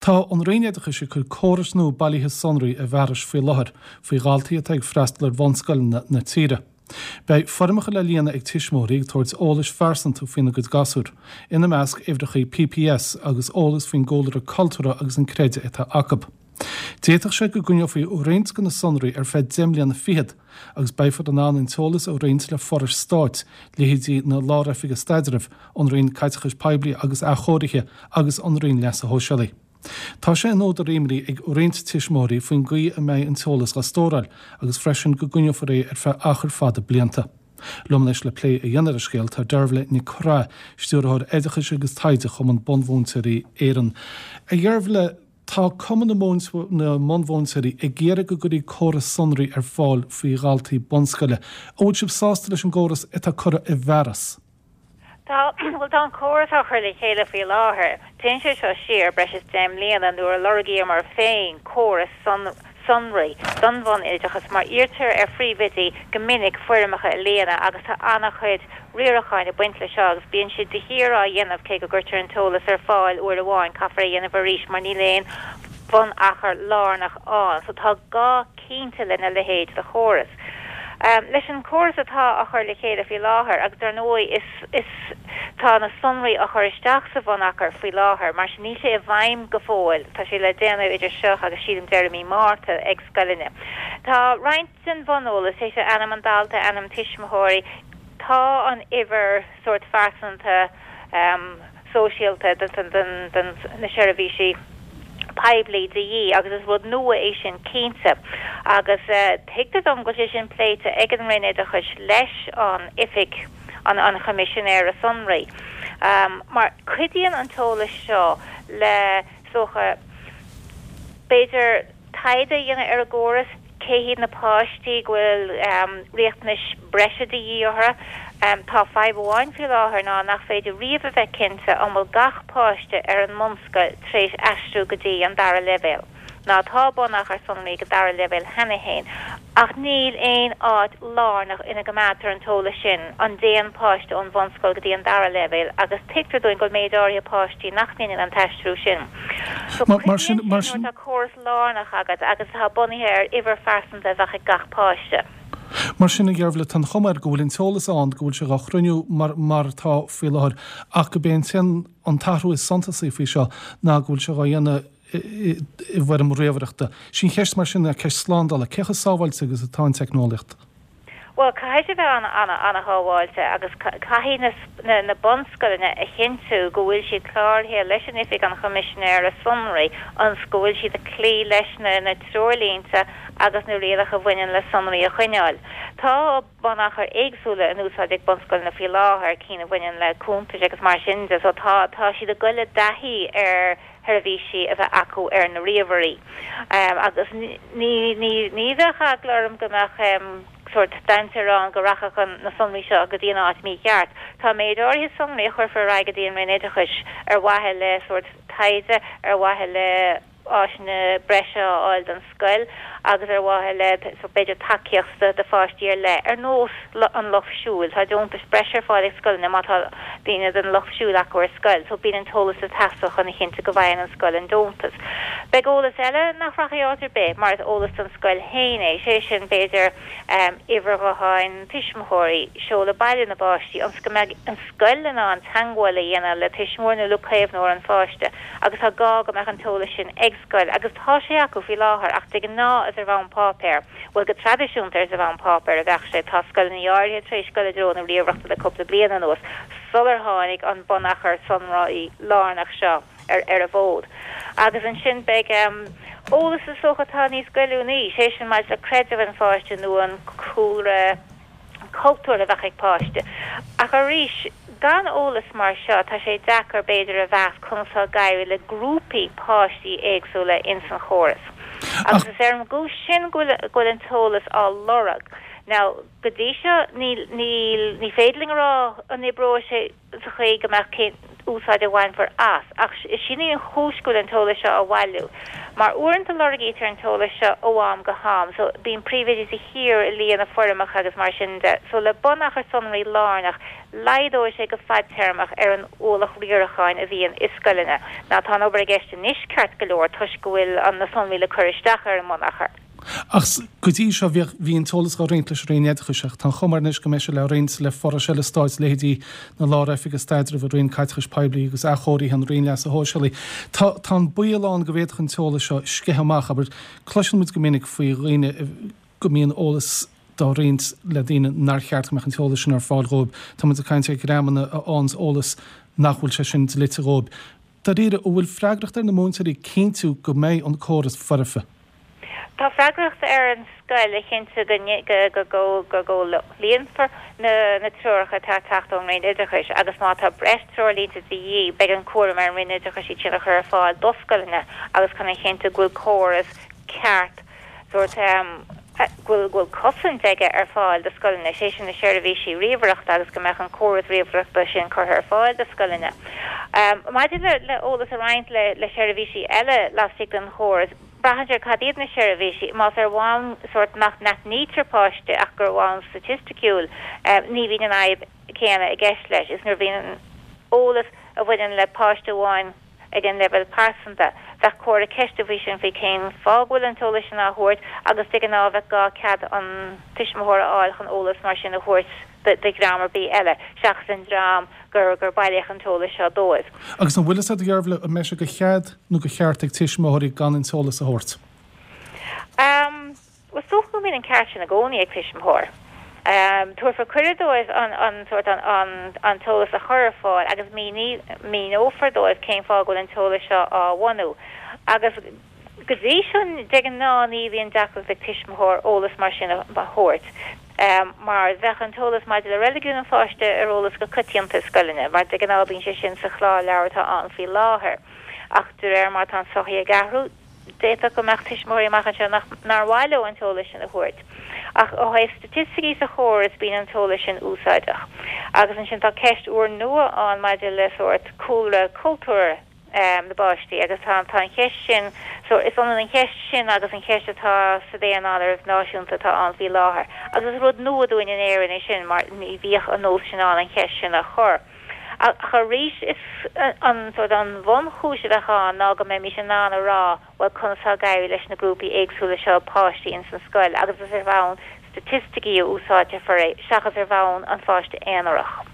Tá an Roinn Oideachais ag cur córais nua bailithe sonraí i bhfearas faoi láthair faoi dhaltaí atá ag freastal ar bhunscoileanna na tíre. Beidh foirmeacha le líonadh ag tuismitheoirí ag tabhairt eolais phearsanta faoina gcuid gasúr, ina measc uimhreacha PPS agus eolas faoin gcúlra cultúrtha agus an creideamh atá acu. D'fhéadfadh sé go gcoinneofaí roinnt de na sonraí ar feadh 10 mbliana fichead agus beifear in ann an t-eolas a roinnt le forais stáit, leithéidí na Lár-Oifige Staidrimh, an Roinn Caiteachais Poiblí agus Athchóirithe agus an Roinn Leasa Shóisialaigh. Tá sé ina údar imní ag roinnt tuismitheoirí faoin gcaoi a mbeidh an t-eolas á stóráil agus freisin go gcoinneofar é ar feadh achar fada blianta. Liom anois le plé a dhéanamh ar an scéal tá Deirbhile Nic Craith, Stiúrthóir Oideachais agus Taighde Chumann Bunmhúinteoirí Éireann. A Dheirbhile, tá Cumann na mBunmhúinteoirí ag iarraidh go gcuirfí córas sonraí ar fáil faoi dhaltaí bunscoile. An bhfuil sibh sásta leis an gcóras atá curtha i bhfearas? Tá, bhuel tá an córas á chur le chéile faoi láthair. Téann sé seo siar breis is 10 mbliana nuair a lorgaíomar féin córas sonraí don bhunoideachas mar iarrtar ar phríomhoidí go minic foirmeacha a líonadh agus tá an-chuid riaracháin ag baint le seo agus bíonn siad de shíor á dhéanamh cé go gcuirtear an t-eolas ar fáil uair amháin caithfear é a dhéanamh arís mar níl aon bhunachar lárnach ann so tá gá cinnte lena leithéid de chóras. Leis an chóras atá á chur le chéile faoi láthair, agus dar ndóigh is, is, tá na sonraí á chur isteach sa bhunachar faoi láthair, mar sin níl sé i bhfeidhm go fóill, tá sé le déanamh idir seo agus sílim deireadh mí Márta ag scoileanna. Tá roinnt den bhuneolas, sé sin ainm an dalta, ainm tuismitheoirí, tá an uimhir sórt phearsanta, sóisialta do na seirbhísí poiblí de dhíth agus is rud nua é sin cinnte agus tuigtear dom go bhfuil sé sin pléite ag an Roinn Oideachais leis an Oifig an Choimisinéara Sonraí mar cuidíonn an t-eolas seo le is dócha b'fhéidir taighde a dhéanamh ar an gcóras, cé hiad na páistí go bhfuil riachtanais breise de dhíth orthu. Tá fadhb amháin faoi láthair ná nach féidir riamh a bheith cinnte an bhfuil gach páiste ar an mbunscoil tar éis aistriú go dtí an dara leibhéal. Ná tá bunachar sonraí ag an dara leibhéal cheana féin ach níl aon áit lárnach ina gcoimeádtar an t-eolas sin, an dtéann páiste ón bhunscoil go dtí an dara leibhéal agus tuigtear dúinn go bhfuil méid áirithe páistí nach ndéanann an t-aistriú sin. So Mar sin, cuidíonn sé nuair atá córas lárnach agat agus atá bunaithe ar uimhir phearsanta a bheadh ag gach páiste. Mar sin, a Dheirbhile, tá an chuma air go bhfuil an t-eolas ann, go bhfuil sé dhá chruinniú mar mar atá faoi láthair, ach go b'é an t-aon, an t-athrú is suntasaí faoi seo ná go bhfuil sé dhá dhéanamh i bhfoirm ríomhaireachta. Sí an cheist mar sin ná ceist slándála, cé chomh sábháilte agus atá an teicneolaíocht? Bhuel, caithfidh sé bheith an-an-an-shábháilte agus caithfidh na na bunscoileanna a chinntiú go bhfuil siad cláraithe leis an Oifig an Choimisinéara Sonraí ionas go bhfuil siad ag cloí leis na na treoirlínte agus na rialacha a bhaineann le sonraí a choinneáil. Tá bunachair éagsúla in úsáid ag bunscoileanna faoi láthair, cinn a bhaineann le cuntais agus mar sin de, so tá tá siad ag goil i dtaithí ar sheirbhísí a bheith acu ar na ríomhairí agus ní ní ní bheadh eagla orm go mbeadh sórt dainséar ann go rachadh an na sonraí seo go dtí an áit mícheart. Tá méid áirithe sonraí a chuirfear ar aghaidh go dtí an Roinn Oideachais ar mhaithe le sórt taighde, ar mhaithe le áiseanna breise a fháil don scoil agus ar mhaithe le b'fhéidir tacaíocht do pháistí ar leith, ar nós an lucht siúil. Tá deontais breise ar fáil ag scoileanna má tá daoine den lucht siúil acu ar scoil, so bíonn an t-eolas ag teastáil chun a chinntiú go bhfaigheann an scoil an deontas. Beidh eolas eile nach rachaidh áit ar bith mar is eolas don scoil féin é, sé sin b'fhéidir uimhir ghutháin tuismitheoirí, seoladh baile na bpáistí, ionas go mbeidh an scoil in ann teagmháil a dhéanamh le tuismitheoir nó le caomhnóir an pháiste agus tá gá go mbeadh an t-eolas sin ag scoil agus tá sé acu faoi láthair ach de ghnáth is ar bhonn páipéir, bhuel go traidisiúnta is ar bhonn páipéir a bheadh sé, tá scoileanna áirithe tar éis dul i dtreo na ríomhaireachta le cúpla bliain anuas sular tháinig an bunachar sonraí lárnach seo ar ar an bhfód. Agus ansin beidh eolas is dócha atá níos goilliúnaí, sé sin maidir le creideamh an pháiste nó an cúlra, cultúrtha a bheadh ag páiste. Ach arís, gan eolas mar seo, tá sé deacair, b'fhéidir, a mheas conas atá ag éirí le grúpaí páistí éagsúla ins an chóras. Agus is ar an gcúis sin go bhfuil, go bhfuil an t-eolas á lorg. Now, go dtí seo, níl, níl, ní féidir linn a rá an oibreoidh sé sa chaoi go mbeadh. úsáid a bhainfear as, ach sin í an chúis go bhfuil an t-eolas seo á bhailiú. Mar uaireanta lorgaítear an t-eolas seo ó am go ham, so bíonn príomhoidí de shíor ag líonadh foirmeacha agus mar sin de. So le bunachar sonraí lárnach, laghdóidh sé go fadtéarmach ar an ualach riaracháin a bhíonn i scoileanna. Now tá an obair i gceist anois ceart go leor toisc go bhfuil na sonraí le cur isteach ar an mbunachar. Ach go dtí seo bhíodh, bhí an t-eolas á roinnt leis an Roinn Oideachais ach tá an chuma air anois go mbeidh sé le roinnt le forais eile stáit, leithéidí na Lár-Oifige Staidrimh, an Roinn Caiteachais Poiblí agus Athchóirithe, an Roinn Leasa Shóisialaigh. Tá, tá an baol ann go bhféadfadh an t-eolas seo sceitheadh amach, abair, cloiseann muid go minic faoi dhaoine go mbíonn eolas dá roinnt le daoine nár cheart go mbeadh an t-eolas sin ar fáil dhóibh. Tá muid ag caint ar dhreamanna a fhaigheanns eolas nach bhfuil sé sin dlite dhóibh. Dáiríre, an bhfuil freagracht ar na múinteoirí cinntiú go mbeidh an córas foirfe? Tá freagracht ar an scoil a chinntiú go gcomhlíonfar na treoracha atá ag teacht ón Roinn Oideachais agus má tá breis treoirlínte de dhíth, beidh an cúram ar an Roinn Oideachais iad sin a chur ar fáil do scoileanna agus chun a chinntiú go bhfuil córas ceart sórt go bhfuil go bhfuil cosaint aige ar fáil do scoileanna, sé sin na seirbhísí ríomhaireachta agus go mbeadh an córas ríomhaireachta sin curtha ar fáil do scoileanna. Maidir le le eolas a roinnt le le seirbhísí eile laistigh den chóras, braitheann sé ar cad iad na seirbhísí. Más ar bhonn sórt nach n-aithnítear páiste ach gur ar bhonn staitisticiúil, ní bhíonn an fhadhb céanna i gceist leis. Is nuair a bhíonn eolas a bhaineann le páiste amháin, ag an leibhéal pearsanta. Bheadh comhartha ceiste faoi sin, faoi cén fáth go bhfuil an t-eolas sin á thabhairt agus de ghnáth bheadh gá cead an tuismitheora a fháil chun eolas mar sin a thabhairt do dhream ar bith eile seachas an dream gur gur bailíodh an t-eolas seo dóibh. Agus an bhfuil fhios agat, a Dheirbhile, an mbeidh sé de chead nó de cheart ag tuismitheoirí gan an t-eolas a thabhairt? Is dócha go mbíonn an ceart sin i gcónaí ag tuismitheoir. Tabharfar cuireadh dóibh an sórt an t-eolas a chur ar fáil agus míneofar dóibh cén fáth go bhfuil an t-eolas seo á bhunú. Agus go dtí seo, de ghnáth ní bhíonn deacracht ag tuismitheoir eolas mar sin a thabhairt mar bheadh an t-eolas maidir le reiligiún an pháiste ar eolas go coitianta i scoileanna mar de ghnáth bíonn sé sin sa chlárleabhar atá ann faoi láthair. Ach de réir mar atá an tsochaí ag athrú, D'fhéadfadh go mbeadh tuismitheoirí amach anseo nach nár mhaith leo an t-eolas sin a thabhairt. Ach ó thaobh staitisticí sa chóras, bíonn an t-eolas sin úsáideach. Agus ansin tá ceist úrnua ann maidir le sórt cúlra cultúir na bpáistí agus tá tá an cheist sin so is ionann an cheist sin agus an cheist atá sa daonáireamh náisiúnta atá ann faoi láthair. Agus is rud nua dúinn in Éirinn é sin mar ní bhíodh an nós sin ann an cheist sin a chur. Ach arís, is an sórt an bhunchúis a bheadh ann ná go mbeimis in ann a rá, bhuel, conas tá ag éirí leis na grúpaí éagsúla seo páistí ins an scoil agus is ar bhonn staitisticí a úsáidfear é seachas ar bhonn an pháiste aonarach.